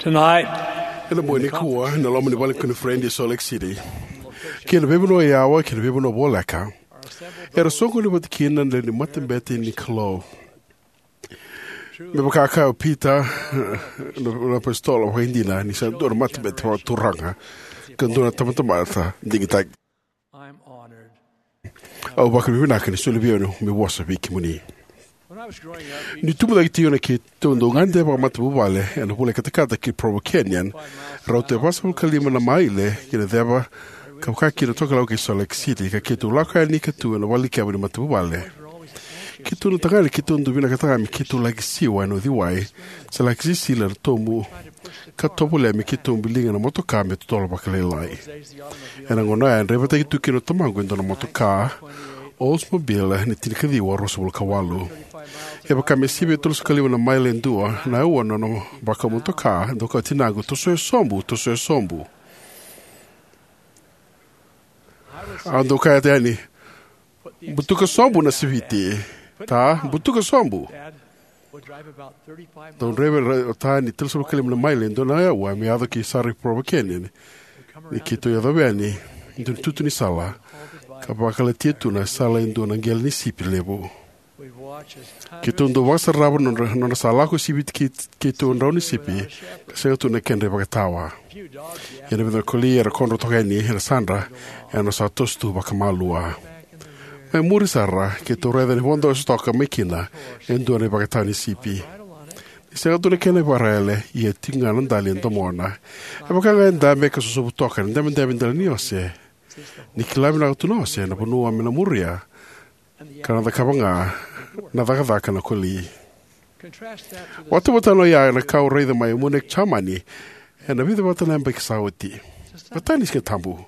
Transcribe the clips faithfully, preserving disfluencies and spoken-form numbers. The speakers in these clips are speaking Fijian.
Tonight, ena bogi nikua, ena loma ni vale ni koniferedi e Salt Lake City, kei na veivanua yawa kei na veivanua voleka, era soqoni vata kina na lewe ni matabete ni Kalou. Me vaka a kaya o Pita na, na apositolo, vakaidina ni sa dua na matabete vakaturaga ka dua na tabatamata digitaki. I'm honored. Au vakavinavinaka ni soli vei au meu vosa vei kemuni. When I was growing up, niu tubu cake tiko, na keitou dau gade vakamatavuvale ena vula e katakata ki Provo Canyon, rauta e vasagavulu ka lima na maile ki na ceva ka vaka kina Tokelau kei Salt Lake City, ka keitou lako yani ka tu ena vale ni keba ni matavuvale. Keitou na tagane, keitou dau vinakata ga me keitou laki siwa ena uciwai se laki sisila ena tobu ka tovolea me keitou biliga na motoka me totolo vakalailai. Ena gauna oya e draivataki tu kina o tamaqu e dua na motoka Oldsmobile ni tinikaciwa ruasagavulu ka walu. E vaka me sivia e tolusagavulu ka lima na maile e dua na aua na nona vakau motoka. Dau kaya o tinaqu, "Tosoya sobu, tosoya sobu." Au dau kaya yani, "Butuka sobu na siviti, ta, butuka sobu." Dau draiva o ta ni tolusagavulu ka lima na maile e dua na aua me yaco ki sara i Provo Canyon. Ni keitou yacova yani e dua na itutu ni sala ka vakalatia tu na sala e dua na qele ni sipi levu. Keitou dau vakasarava na nodra, nodra sa lako siviti kei, keitou e drau ni sipi, ka sega tu na kedra ivakatawa. Ia na vica na koli era kodro toka yani ena sadra, era sa toso tu vakamalua. Mai muri sara, keitou raica ni vodo ose toka mai kina e dua na ivakatawa ni sipi. Ni sega tu na kena ivakaraiyale, ia e tiko ga na dali e domona. E vaka ga e dabe ka sosovu toka ena dabedabe dela ni ose. Ni kila vinaka tu na ose na vanua me na muria, ka na cakava ga na cakacaka na koli. Vakatauvatana oya na ka au raica mai Munich, Jamani, ena vica vata na yabaki sa oti. Matai ni Siga Tabu,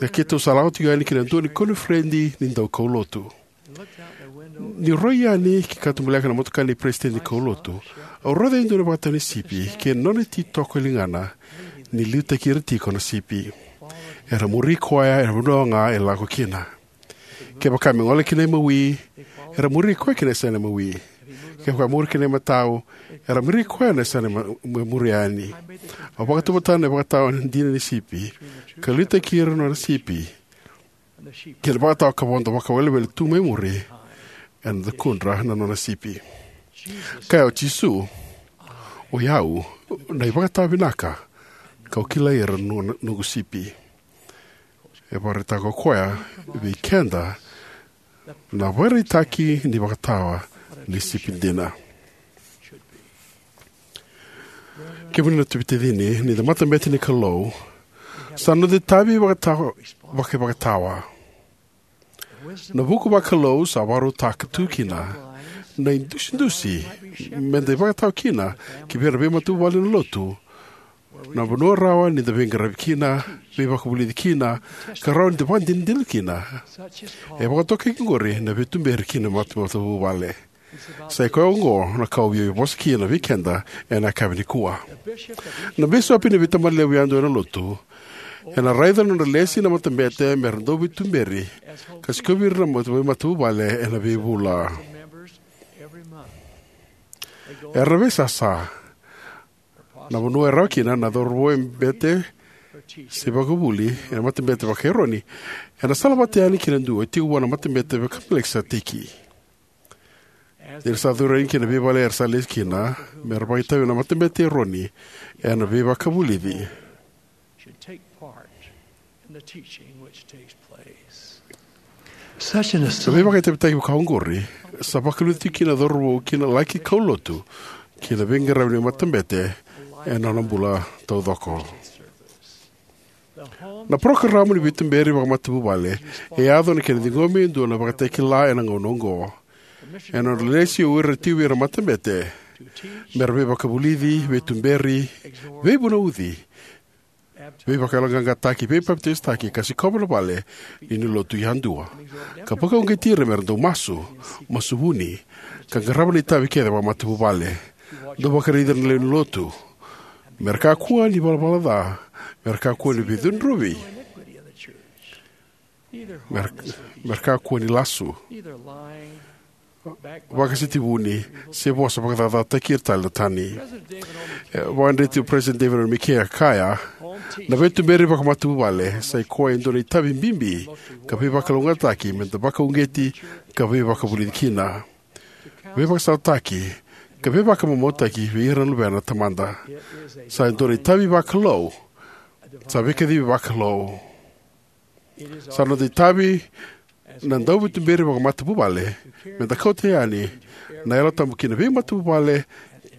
e keitou sa lako tiko yani ki na dua na koniferedi ni daukaulotu. Niu rai yani ki katubaleka na motoka ni peresitedi ni kaulotu, au raica e dua na ivakatawa ni sipi kei na nona ititoko e ligana ni liutaki ira tiko na sipi. Era muri koya ena vanua ga e lako kina. Kevaka me gole ki na imawi, era muri koya ki na yasana imawi. Kevaka muri ki na imatau, era muri koya na yasana ima-, me muri yani. Au vakatauvatana na ivakatawa dina ni sipi ka liutaki ira na nona sipi kei na ivakatawa ka vodo vakawelewele tu mai muri ena cakudra na nona sipi. Kaya o Jisu, "O i au na ivakatawa vinaka, kau kilai ira na noqu sipi." E vakaraitaka o koya vei keda na vakaraitaki ni vakatawa ni sipi dina. Kemuni na taciqu, ni da matabete ni Kalou, sa noda itavi vakatawa, vakaivakatawa. Na vuku vakalou sa vakarautaka tu kina na idusidusi me da ivakatawa kina ki vei ira na veimatavuvale ena lotu, na vanua rawa ni da veiqaravi kina, veivakavulici kina, ka rawa ni da vakadinadina kina. E vakatokai oqori na veituberi kina mata-, matavuvale. Sa i koya oqo na ka au via vosa kina vei keda ena yakavi nikua. Na bisopi ni veitabana levu yadua ena lotu ena raica na nodra lesi na matabete me ra dau veituberi ka sikovi ira na mata-, veimatavuvale ena veivula. Era veisasa na vanua e rawa kina na cauravou e bete se vakavuli ena matabete vaka-Eroni, ena sala vata yani kina dua e tiko vua na matabete vaka-Melikiseteki. Ni ra sa curu yani ki na veivale era sa lesi kina, me ra vakaitavi ena matabete Eroni ena veivakavulici. Na veivakaitavitaki vaka oqori sa vakaliuca tiko kina na cauravou ki na laki kaulotu ki na veiqaravi ni matabete ena nona bula taucoko. Na parokaramu ni veituberi vakamatavuvale e yaco na kena ciqomi e dua na ivakatakila ena gauna oqo. Ena nodra lesi o ira tiko vei ira na matabete me ra veivakavulici, veituberi, veivunauci, veivakayaloqaqataki, veipapitaisotaki, ka sikova na vale ni lotu yadua, ka vakauqeti ira me ra dau masu, masu vuni, ka qarava na itavi kece vakamatavuvale. Dau vakaraici ira na lewe ni lotu me ra kakua ni valavala ca, me ra kakua ni veicudruvi, me ra, me ra kakua ni lasu, vakasitivuni se vosa vakacacataki ira tale na tani. E vakadreti o President David R. McKay, a kaya, na veituberi vakamatavuvale sa i koya e dua na itavi bibi ka veivakalougatataki me da vakauqeti ka veivakavulici kina, veivakasalataki ka veivakamamautaki vei ira na luvena na Tamada. Sa e dua na itavi vakalou. Sa veikacivi vakalou. Sa noda itavi na dauveituberi vakamatavuvale me da kauta yani na Yalo Tabu ki na veimatavuvale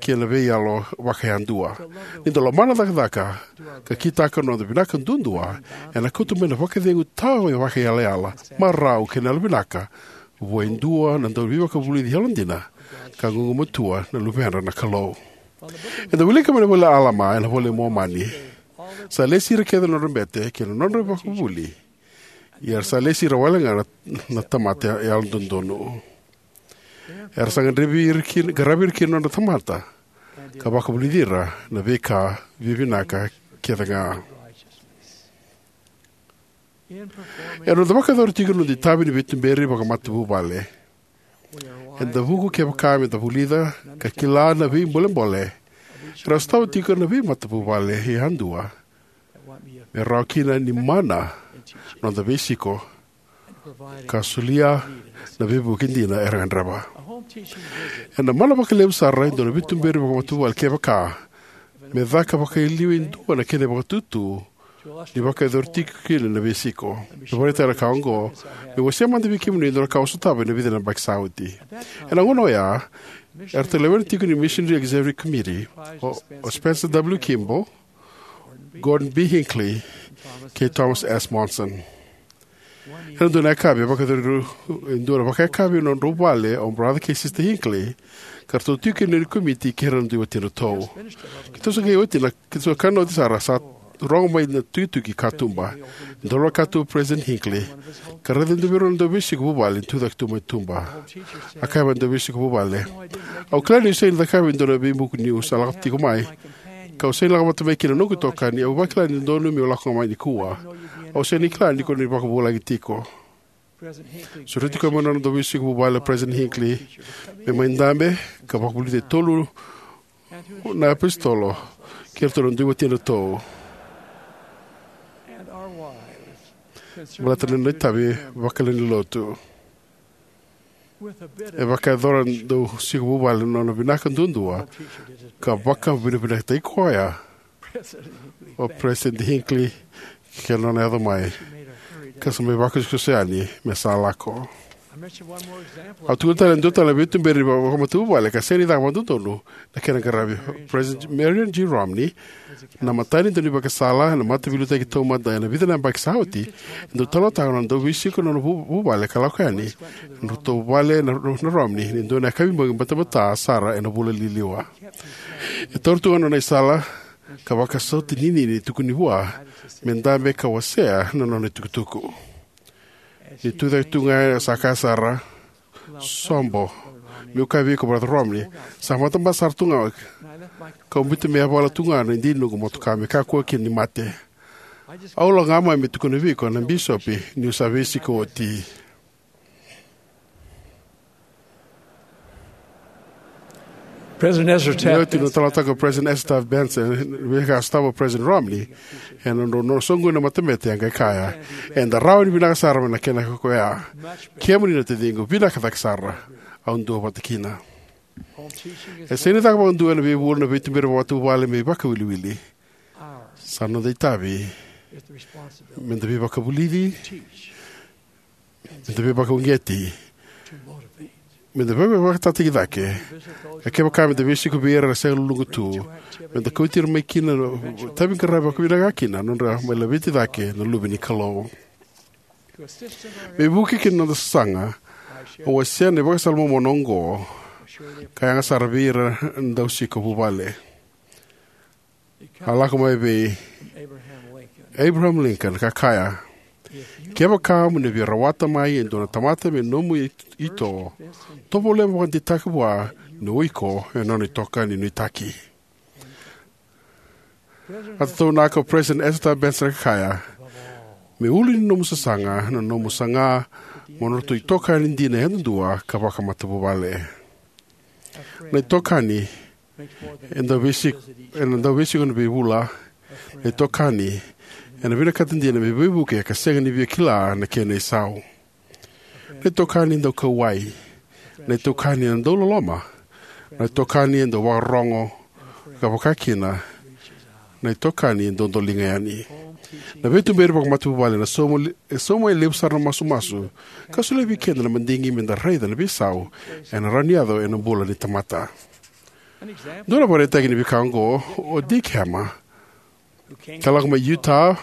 kei na veiyalo vakayadua. Ni da lomana na cakacaka ka kitaka na noda vinaka duadua, ena kauta mai na vakacegu tawa vakaiyalayala, marau kei na yalovinaka vua e dua na dauveivakavulici yalodina ka gugumatua na luvedra na Kalou. Eda wilika mai na ivola i Alama ena iVola i Momani. Sa lesi ira kece na nodra bete kei na nodra ivakavuvuli, ia era sa lesi ira wale ga na, na tamata yalododonu. Era sa gadrevi ira ki, qaravi ira kina na nodra tamata ka vakavulici ira na veika vivinaka kece ga. Ena noda vakayacora tiko na noda itavi ni veituberi vakamatavuvale, eda vuku kevaka me da vulica ka kila na veibolebole era sotava tiko na veimatavuvale yadua me rawa kina ni mana na noda veisiko ka solia na veivuke dina era gadreva. Ena mana vakalevu sara e dua na veituberi vakamatavuvale kevaka me caka vakailiu e dua na kena vakatutu ni vakayacori tiko kina na veisiko. Me vakaraitaka na ka oqo, meu wasea mada vei kemuni e dua na ka au sotava ena vica na yabaki sa oti. Ena gauna oya, eratou lewena tiko ni Missionary Executive Committee o, o Spencer W. Kimball, Gordon B. Hinckley, kei Thomas S. Monson. Ena dua na yakavi, e vakayacori e dua na vakayakavi ena nodrau vale o Brother kei Sister Hinckley, ka ratou tiko kina ni komiti kei ira na dui watidratou. Keitou sa qai oti na, keitou sa kana oti sara, sa rogo mai na tukituki katuba. Dolo na katuba o President Hinckley ka raica e dua vei ira na dauveisiko vuvale ni tucake tu mai tuba. A kaya mai na dauveisiko vuvale, au kila niu sega ni cakava e dua na veibuku niu sa lako tiko mai, kau sega ni lako vata mai kina na noqu itokani. Au vakila ni dodonu meu lako ga mai nikua. Au sega ni kila ni ko ni vakavulagi tiko. Sureti koya mai na nona dauveisiko vuvale o President Hinckley me mai dabe ka vakavulici e tolu na iapositolo kei iratou na dui watidratou, baleta na nona itavi vakalewe ni lotu. E vakayacora na dauveisiko vuvale na nona vinaka duadua ka vakavinavinakataki koya o President Hinckley kei na nona yaco mai ka sa mai vakosokoso yani me sa lako. Au tukuna tale e dua tale na veituberi vakamatavuvale ka sega ni caka vakadodonu na kena qaravi. President Marion G. Romney, na imatai ni daunivakasala ena Mataveiliutaki Taumada ena vica na yabaki sa oti, e dau talanoataka na nona dauveisiko na nona vu-, vuvale ka lako yani ena nodratou vale na, na Romney ena dua na yakavi bogi batabata sara ena vula liliwa. E taura tu ga na nona isala ka vakasauta ninini, tukuni vua me dabe ka wasea na nona itukutuku. Ni tucake tu ga, sa kaya sara, "Sobo, meu kaya vei iko, Brother Romney, sa matabasa sara tu ga, kau biuta me yavala tu ga na idini ni noqu motoka me kakua kina ni mate. Au lako ga mai me tukuna vei iko na bisopi niu sa veisiko oti." President Ezra Taft Ni oti na Benson talanoataka o President Ezra Taft Benson na veika a sotava o President Romney ena nodrau, nodrau soqoni na matabete, e qai kaya, "Eda rawa ni vinaka sara mai na kena koya. Kemuni na taciqu, vinaka cake sara. Au duavata kina." E sega ni caka vakadua ena veivula na veituberi vakamatavuvale me ivakawiliwili. Sa noda itavi me da veivakavulici, me da veivakauqeti, me da veivakatataki cake. E kevaka me da veisiko vei ira era sega luluqa tu, me da kauti ira mai kina na itavi qaravi vakavinaka kina, nodra mai laveti cake na luve ni Kalou. Me vukei kina noda sasaga, au wasea na ivakasala momona oqo ka yaga sara vei ira na dauveisiko vuvale. A lako mai vei Abraham Lincoln ka kaya, "Kevaka mo ni via rawata mai e dua na tamata me nomu i-, ito, tovolea mo vakadeitaka vua ni o iko e nona itokani nuitaki." A tataunaka o President Ezra Taft Benson ka kaya, Me ulu ni nomu sasaga na nomu saga mo nodratou itokani dina yadudua ka vakamatavuvale. Na itokani e dau veisiko, ena dau veisiko na veivula. Na itokani ena vinakata dina me veivuke ka sega ni via kila na kena isau. Na itokani e dau kauwai. Na itokani e dau loloma. Na itokani e dau vakarorogo ka vaka kina na itokani e dodoliga yani. Na veituberi vakamatavuvale na sauma, e sauma e levu sara na masumasu ka solia vei keda na madigi me da raica na veisau ena rawa ni yaco ena bula ni tamata. Dua na vakaraitaki ni veika oqo o Dick Hammer, ka lako mai Utah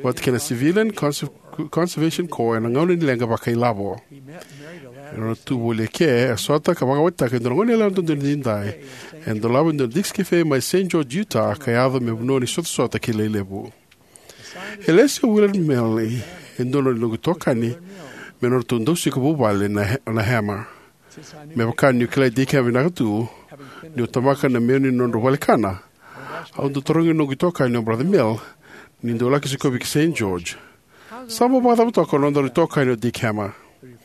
vata kei na Civilian Conser-, Conservation Corps ena gauna ni leqa vakailavo. Ena nona tu voli eke, e sota ka vakawatitaka e dua na goneyalewa dodonu edaidai ena dolava e dua na Dick's Cafe mai Saint George, Utah, ka yaco me vanua ni sotasota kilai levu. E lesi o Willard Milne, e dua na noqu itokani, me nodratou dau siko vuvale na, na Hammer. Me vaka niu kilai Dick Hammer vinaka tu, niu tabaka na menu ni nodrau vale kana, au dau tarogi noqu itokani o Brother Milne, ni dau laki sikovi ki Saint George, "Sa bau vakacava toka o nodaru itokani o Dick Hammer?"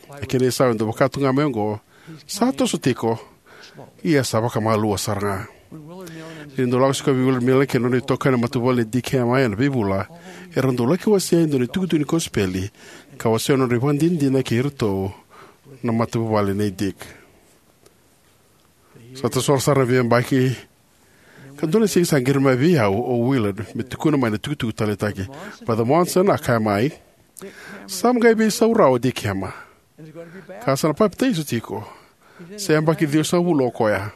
Na kena isau e dau vaka tu ga mai oqo, "Sa toso tiko, ia sa vakamalua sara ga." Ni dau lako sikovi Willard Milne kei na nona itokani na matavuvale nei Dick Hammer ena veivula, era dau laki wasea e dua na itukutuku ni kosipeli ka wasea na nodra ivakadinadina kei iratou na matavuvale nei Dick. Sa tasora sara na veiyabaki, ka dua na siga sa qiri mai vei au o Willard me tukuna mai na itukutuku taleitaki. "Brother Monson," a kaya mai, "sa qai veisau rawa o Dick Hammer, ka sa na papitaiso tiko. Sa yabaki ciwasagavulu o koya,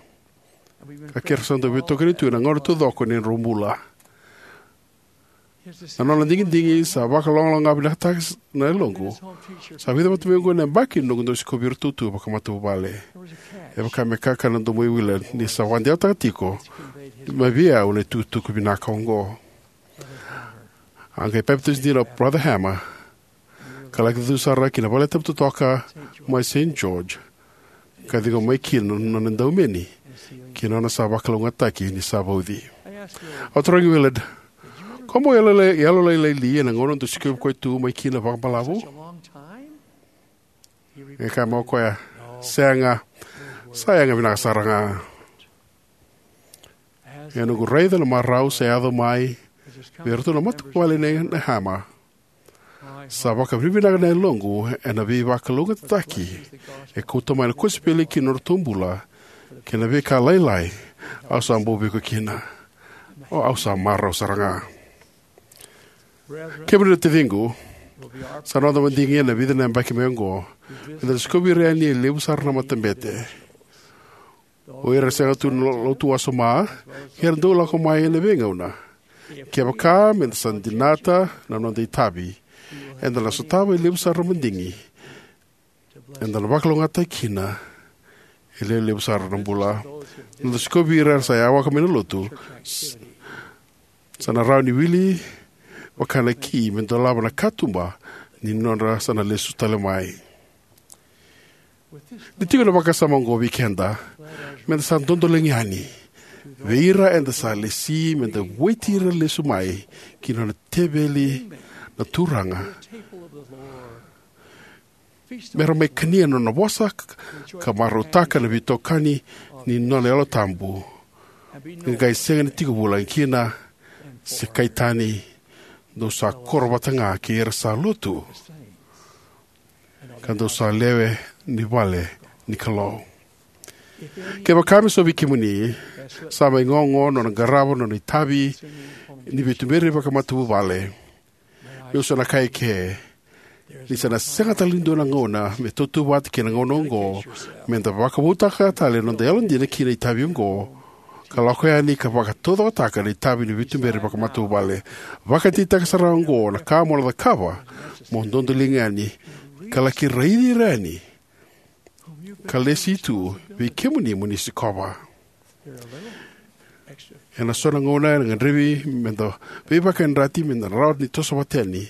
ka keirau sa dau veitokoni tu ena gauna taucoko ni nodrau bula. Na nona digidigi sa vakalogaloga vinakataka na yaloqu. Sa vica vata mai oqo na yabaki noqu dau sikovi iratou tu vakamatavuvale." E vaka me kakana na domo i Willard ni sa vakadewataka tiko mai vei au na itukutuku vinaka oqo. A qai papitaiso dina o Brother Hammer, ka laki tu sara ki na valetabu totoka mai Saint George, ka ciqoma mai kina na nona edaumeni kei na nona sa vakalougatataki ni sa vauci. Au tarogi Willard, "Ko bau yalolailai li ena gauna dau sikovi koya tu mai kina vakabalavu?" E kaya mai o koya, "Sega, sa yaga vinaka sara ga." Ena noqu raica na marau sa yaco mai vei iratou na matavuvale nei Hammer, sa vakavinavinaka na yaloqu ena veivakalougatataki e kauta mai na kosipeli ki na nodratou bula kei na veika lailai au sa bau vei iko kina. O, au sa marau sara ga. Kemuni na taciqu, sa noda madigi ena vica na yabaki mai oqo me da sikovi ira yani e levu sara na matabete. O ira sega tu ni lotu wasoma, era dau lako mai ena veigauna. Kevaka me da sa dinata na noda itavi, eda na sotava e levu sara na madigi eda na vakalougatataki kina e levu sara na bula. Na noda sikovi ira era sa yawaka mai na lotu, s-, sa na rawa ni wili vaka na ki me dolava na katuba ni nodra sa na lesu tale mai. Ni tiko na vakasama oqo vei keda, me da sa dodoliga yani vei ira eda sa lesi, me da vueti ira lesu mai ki na nona teveli na Turaga, me ra mai kania na nona vosa ka marautaka na veitokani ni nona Yalo Tabu, ka qai sega ni tiko vulagi kina se kai tani, dou sa koro vata ga kei ira sa lotu, ka dou sa lewe ni vale ni Kalou. Kevaka me so vei kemuni sa mai gogo nona qarava nona itavi ni veituberi vakamatavuvale, meu sa na kaya eke ni sa na sega tale ni dua na gauna me tautauvata kei na gauna oqo me da vakavoutaka tale na noda yalodina ki na itavi oqo, ka lako yani ka vakataucokotaka na itavi ni veituberi vakamatavuvale. Vakadeitaka sara oqo na ka mo na cakava mo dodoliga yani ka laki raici ira yani ka lesi tu vei kemuni mo ni sikova. Ena so na gauna ena gadrevi me da veivakayadrati me da rawa ni toso vata yani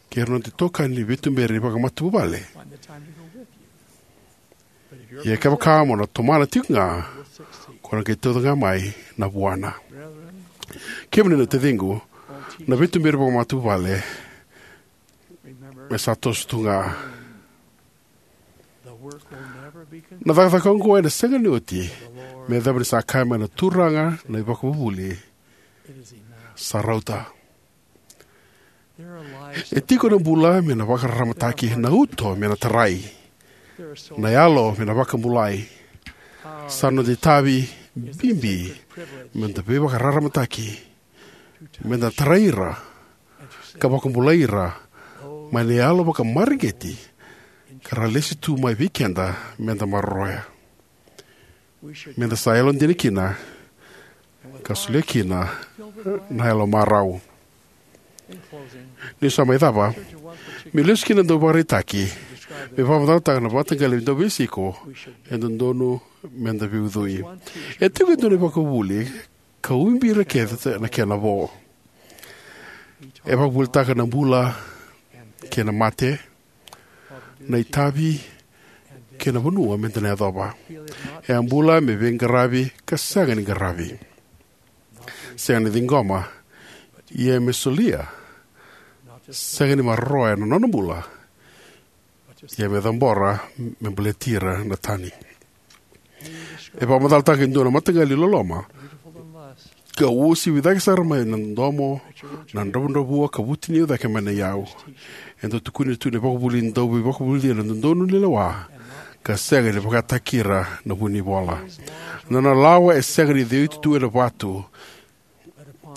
kei ira na noda itokani ni veituberi vakamatavuvale. Ia kevaka mo na tomana tiko ga, ko na qai tauca ga mai na vuana. Kemuni na taciqu, na veituberi vakamatavuvale me sa toso tu ga. Na cakacaka oqo ena sega ni oti me yacova ni sa kaya mai na Turaga na iVakavuvuli, sa rauta. E tiko na bula me na vakararamataki, na uto me na tarai, na yalo me na vakabulai. Sa noda itavi bibi me da veivakararamataki, me da tarai ira ka vakabulai ira mai na yalo vakamareqeti ka ra lesi tu mai vei keda me da maroroya. Me da sa yalodina kina ka solia kina na yalo marau. Niu sa mai cava, meu lesu ki na dau vakaraitaki me vakamacalataka na mataqali dau veisiko e dodonu me da veiucui. E tiko e dua na ivakavuvuli ka ubi ira kece na kena vo. E vakavuvulitaka na bula kei na mate, na itavi kei na vanua me da na yacova. E a bula me veiqaravi ka sega ni qaravi, sega ni ciqoma, ia me solia, sega ni maroroya na nona bula, ia me cabora me baleti ira na tani. E vakamacalataka e dua na mataqali loloma ka uasivi cake sara mai na domo, na dravudravua ka vutuniyau cake mai na iyau. E dau tukuni tu na ivakavuvuli ni dau veivakavulici ena dodonu ni lewa ka sega ni vakataki ira na vunivola. Na nona lawa e sega ni ceuti tu ena vatu,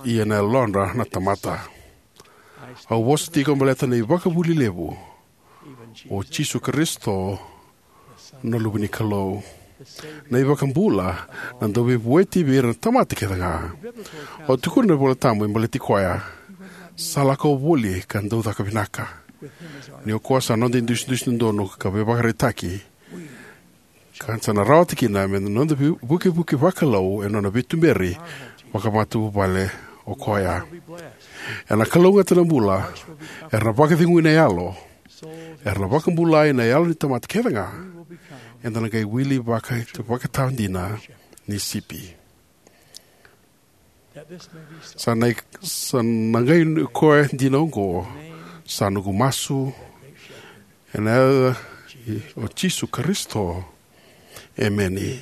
ia na yalodra na tamata. Au vosa tiko baleta na ivakavuvuli levu, o Jisu Karisito, na Luve ni Kalou, na iVakabula, na Dauveivueti vei ira na tamata kece ga. O tukuna na iVola Tabu me baleti koya, sa lako voli ka dau caka vinaka. Ni o koya sa noda idusidusi dodonu ka veivakaraitaki, ka sa na rawata kina me noda vei-, vukevuke vakalou e nona veituberi vakamatavuvale o koya. Ena kalougata na bula, era na vakacegui na yalo, era na vakabulai na yalo ni tamata kece ga. Eda na qai wili vaka, vakatawa dina ni sipi. Sa na, sa na qai koya dina oqo, sa noqu masu, ena yaca o Jisu Karisito. Emeni.